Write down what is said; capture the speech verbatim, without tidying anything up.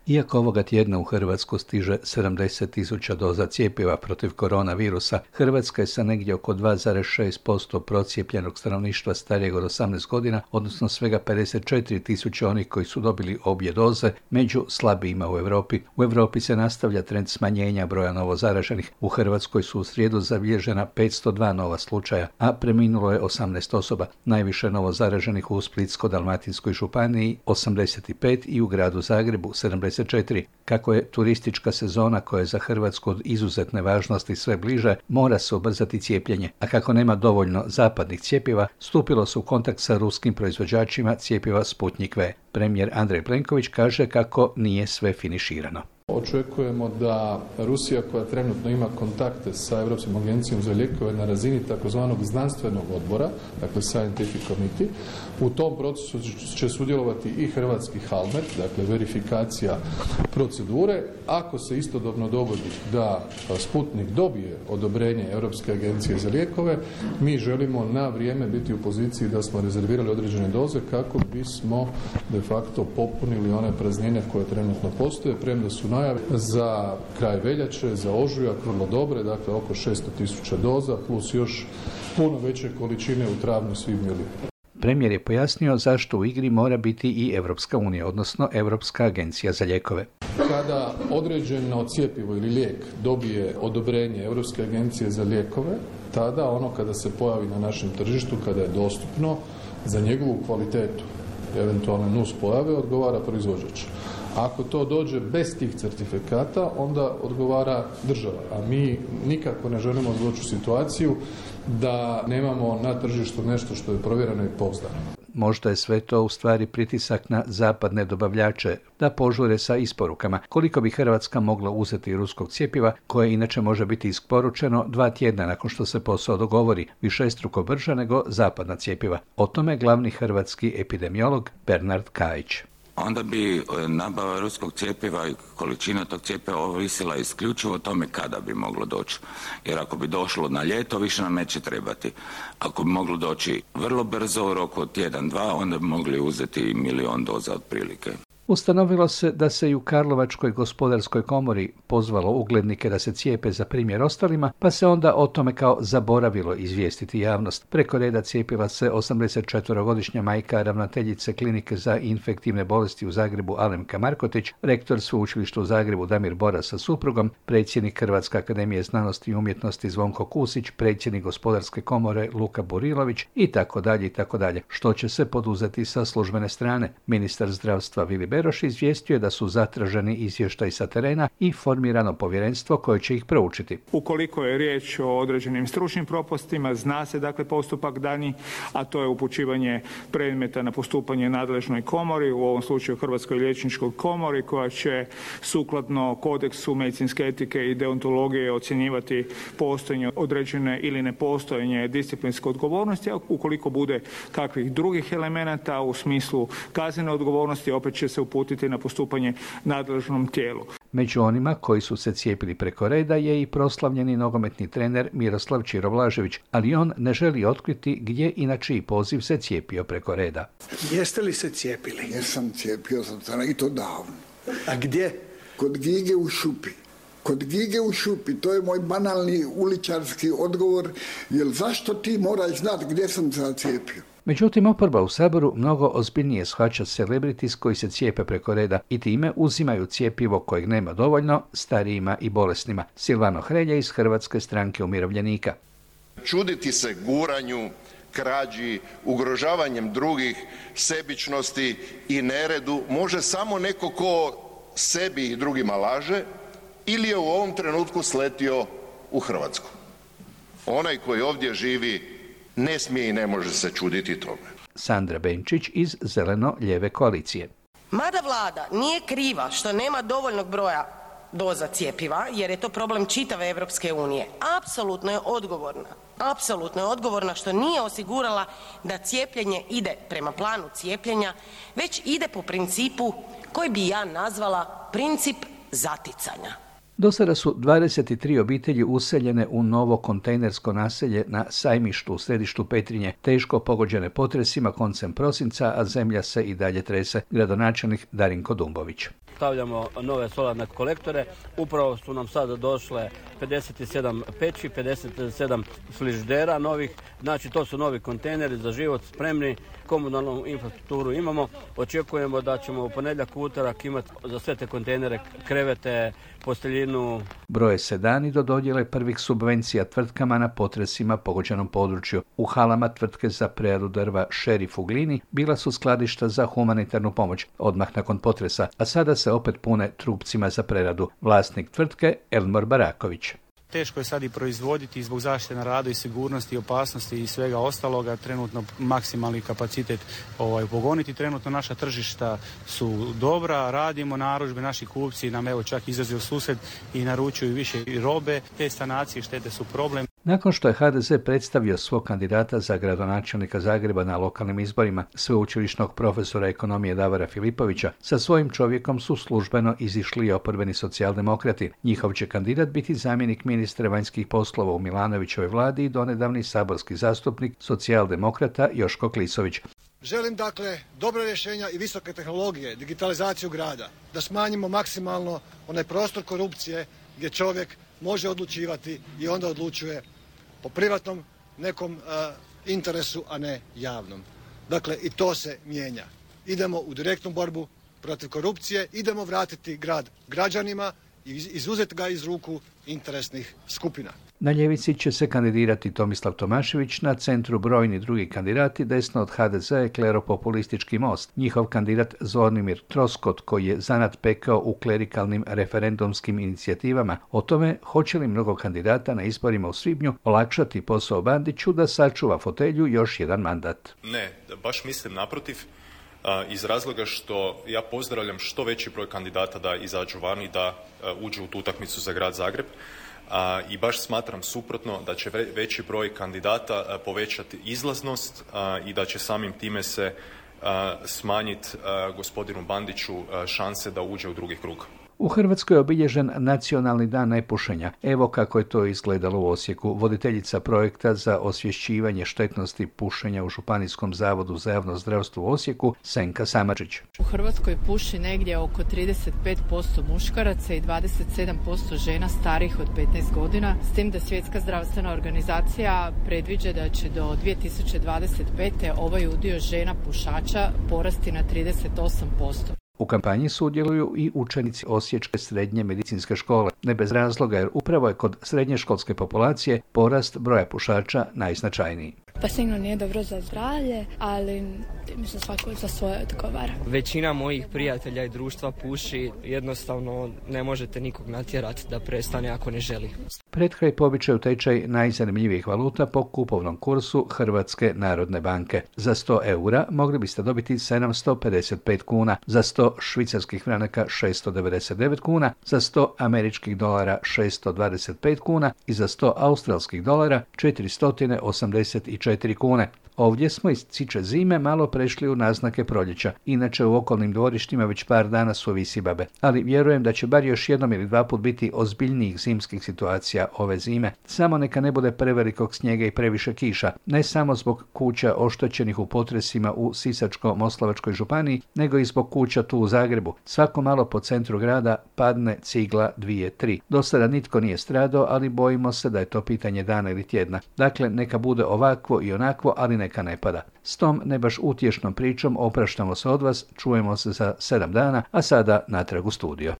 Iako ovoga tjedna u Hrvatsku stiže sedamdeset tisuća doza cjepiva protiv koronavirusa, Hrvatska je sa negdje oko dva zarez šest posto procijepljenog stanovništva starijeg od osamnaest godina, odnosno svega pedeset četiri tisuće onih koji su dobili obje doze, među slabijima u Europi. U Europi se nastavlja trend smanjenja broja novozaraženih. U Hrvatskoj su u srijedu zabilježena petsto dva nova slučaja, a preminulo je osamnaest osoba. Najviše novozaraženih u Splitsko-dalmatinskoj županiji osamdeset pet i u gradu Zagrebu sedamdeset četiri. Kako je turistička sezona koja je za Hrvatsku od izuzetne važnosti sve bliže, mora se ubrzati cijepljenje, a kako nema dovoljno zapadnih cjepiva, stupilo se u kontakt sa ruskim proizvođačima cjepiva Sputnik V. Premijer Andrej Plenković kaže kako nije sve finiširano. Očekujemo da Rusija, koja trenutno ima kontakte sa Europskom agencijom za lijekove na razini takozvanog znanstvenog odbora, dakle Scientific Committee, u tom procesu će sudjelovati i hrvatski Halmed, dakle verifikacija procedure. Ako se istodobno dogodi da Sputnik dobije odobrenje Europske agencije za lijekove, mi želimo na vrijeme biti u poziciji da smo rezervirali određene doze kako bismo de facto popunili one praznine koje trenutno postoje, premda su najave za kraj veljače, za ožujak vrlo dobre, dakle oko šesto tisuća doza plus još puno veće količine u travnju, svibnju i lipnju. Premijer je pojasnio zašto u igri mora biti i Europska unija, odnosno Europska agencija za lijekove. Kada određeno cjepivo ili lijek dobije odobrenje Europske agencije za lijekove, tada ono kada se pojavi na našem tržištu, kada je dostupno, za njegovu kvalitetu, eventualne nus pojave, odgovara proizvođač. Ako to dođe bez tih certifikata, onda odgovara država, a mi nikako ne želimo doći u situaciju da nemamo na tržištu nešto što je provjereno i pouzdano. Možda je sve to u stvari pritisak na zapadne dobavljače da požure sa isporukama. Koliko bi Hrvatska mogla uzeti ruskog cjepiva, koje inače može biti isporučeno dva tjedna nakon što se posao dogovori, višestruko brže nego zapadna cjepiva. O tome glavni hrvatski epidemiolog Bernard Kajić. Onda bi nabava ruskog cjepiva i količina tog cjepiva ovisila isključivo o tome kada bi moglo doći. Jer ako bi došlo na ljeto, više nam neće trebati. Ako bi moglo doći vrlo brzo, u roku od tjedan, dva, onda bi mogli uzeti milion doza otprilike. Ustanovilo se da se i u Karlovačkoj gospodarskoj komori pozvalo uglednike da se cijepe za primjer ostalima, pa se onda o tome kao zaboravilo izvijestiti javnost. Preko reda cijepila se osamdesetčetverogodišnja majka ravnateljice klinike za infektivne bolesti u Zagrebu Alemka Markotić, rektor sveučilišta u Zagrebu Damir Boras sa suprugom, predsjednik Hrvatske akademije znanosti i umjetnosti Zvonko Kusić, predsjednik gospodarske komore Luka Burilović i tako dalje i tako dalje. Što će se poduzeti sa službene strane? Ministar zdravstva Vili Beroš izvijestio je da su zatraženi izvještaji sa terena i formirano povjerenstvo koje će ih proučiti. Ukoliko je riječ o određenim stručnim propustima, zna se dakle postupak dani, a to je upućivanje predmeta na postupanje nadležnoj komori, u ovom slučaju Hrvatskoj liječničkoj komori, koja će sukladno kodeksu medicinske etike i deontologije ocjenjivati postojanje određene ili nepostojanje disciplinske odgovornosti, a ukoliko bude kakvih drugih elemenata u smislu kaznene odgovornosti, opet će se uputiti na postupanje nadležnom tijelu. Među onima koji su se cijepili preko reda je i proslavljeni nogometni trener Miroslav Ćiro Blažević, ali on ne želi otkriti gdje i na čiji poziv se cijepio preko reda. Jeste li se cijepili? Jesam, cijepio sam se i to davno. A gdje? Kod Gige u Šupi. Kod Gige u Šupi, to je moj banalni uličarski odgovor, jer zašto ti moraš znati gdje sam se cijepio? Međutim, oporba u Saboru mnogo ozbiljnije shvaća celebrities koji se cijepe preko reda i time uzimaju cjepivo kojeg nema dovoljno starijima i bolesnima. Silvano Hrelja iz Hrvatske stranke umirovljenika. Čuditi se guranju, krađi, ugrožavanjem drugih, sebičnosti i neredu može samo neko ko sebi i drugima laže ili je u ovom trenutku sletio u Hrvatsku. Onaj koji ovdje živi ne smije i ne može se čuditi tome. Sandra Benčić iz Zeleno-lijeve koalicije. Mada vlada nije kriva što nema dovoljnog broja doza cjepiva, jer je to problem čitave Europske unije, apsolutno je odgovorna. Apsolutno je odgovorna što nije osigurala da cijepljenje ide prema planu cijepljenja, već ide po principu koji bi ja nazvala princip zaticanja. Do sada su dvadeset tri obitelji useljene u novo kontejnersko naselje na Sajmištu u središtu Petrinje, teško pogođene potresima koncem prosinca, a zemlja se i dalje trese. Gradonačelnik Darinko Dumbović. stavljamo nove solarne kolektore. Upravo su nam sada došle pedeset sedam peći, pedeset sedam frižidera novih, znači to su novi kontejneri za život spremni, komunalnu infrastrukturu imamo. Očekujemo da ćemo u ponedjeljak, utorak imati za sve te kontejnere krevete, posteljinu. Broje se dani do dodjele prvih subvencija tvrtkama na potresima pogođenom području. U halama tvrtke za preradu drva Šerif u Glini bila su skladišta za humanitarnu pomoć odmah nakon potresa, a sada se opet pune trupcima za preradu. Vlasnik tvrtke Elmor Baraković. Teško je sad i proizvoditi zbog zaštite na radu i sigurnosti, opasnosti i svega ostaloga. Trenutno maksimalni kapacitet ovaj, pogoniti. Trenutno naša tržišta su dobra, radimo narudžbe, naši kupci nam evo čak izlaze u susret i naručuju više robe. Te sanacije štete su problem. Nakon što je ha de ze predstavio svog kandidata za gradonačelnika Zagreba na lokalnim izborima, sveučilišnog profesora ekonomije Davora Filipovića, sa svojim čovjekom su službeno izišli i oporbeni socijaldemokrati. Njihov će kandidat biti zamjenik ministra vanjskih poslova u Milanovićevoj vladi i donedavni saborski zastupnik socijaldemokrata Joško Klisović. Želim dakle dobra rješenja i visoke tehnologije, digitalizaciju grada, da smanjimo maksimalno onaj prostor korupcije gdje čovjek može odlučivati i onda odlučuje po privatnom nekom uh, interesu, a ne javnom. Dakle, i to se mijenja. Idemo u direktnu borbu protiv korupcije, idemo vratiti grad građanima i izuzeti ga iz ruku interesnih skupina. Na ljevici će se kandidirati Tomislav Tomašević, na centru brojni drugi kandidati, desno od ha de ze je kleropopulistički Most. Njihov kandidat Zvonimir Troskot, koji je zanat pekao u klerikalnim referendumskim inicijativama, o tome hoće li mnogo kandidata na izborima u svibnju olakšati posao Bandiću da sačuva fotelju još jedan mandat. Ne, baš mislim naprotiv. Iz razloga što ja pozdravljam što veći broj kandidata da izađu van i da uđu u tu utakmicu za grad Zagreb. A, i baš smatram suprotno da će veći broj kandidata a, povećati izlaznost a, i da će samim time se smanjiti gospodinu Bandiću a, šanse da uđe u drugi krug. U Hrvatskoj je obilježen Nacionalni dan nepušenja. Evo kako je to izgledalo u Osijeku. Voditeljica projekta za osvješćivanje štetnosti pušenja u Županijskom zavodu za javno zdravstvo u Osijeku, Senka Samardžić. U Hrvatskoj puši negdje oko trideset pet posto muškaraca i dvadeset sedam posto žena starijih od petnaest godina, s tim da Svjetska zdravstvena organizacija predviđa da će do dvije tisuće dvadeset pete ovaj udio žena pušača porasti na trideset osam posto. U kampanji sudjeluju i učenici Osječke srednje medicinske škole. Ne bez razloga, jer upravo je kod srednješkolske populacije porast broja pušača najznačajniji. Pa sigurno nije dobro za zdravlje, ali mislim svako za svoje odgovara. Većina mojih prijatelja i društva puši, jednostavno ne možete nikog natjerati da prestane ako ne želi. Pred kraj po običaju tečaj najzanimljivijih valuta po kupovnom kursu Hrvatske narodne banke. Za sto eura mogli biste dobiti sedamsto pedeset pet kuna, za sto švicarskih franaka šesto devedeset devet kuna, za sto američkih dolara šesto dvadeset pet kuna i za sto australskih dolara četiristo osamdeset četiri kune. Ovdje smo iz ciče zime malo prešli u naznake proljeća. Inače u okolnim dvorištima već par dana su visibabe, ali vjerujem da će bar još jednom ili dva put biti ozbiljnijih zimskih situacija ove zime. Samo neka ne bude prevelikog snijega i previše kiša, ne samo zbog kuća oštećenih u potresima u Sisačko-moslavačkoj županiji, nego i zbog kuća tu u Zagrebu. Svako malo po centru grada padne cigla dvije, tri. Do sada nitko nije stradao, ali bojimo se da je to pitanje dana ili tjedna. Dakle, neka bude ovakvo i onakvo, ali neka ne pada. S tom ne baš utješnom pričom opraštamo se od vas, čujemo se za sedam dana, a sada natrag u studio.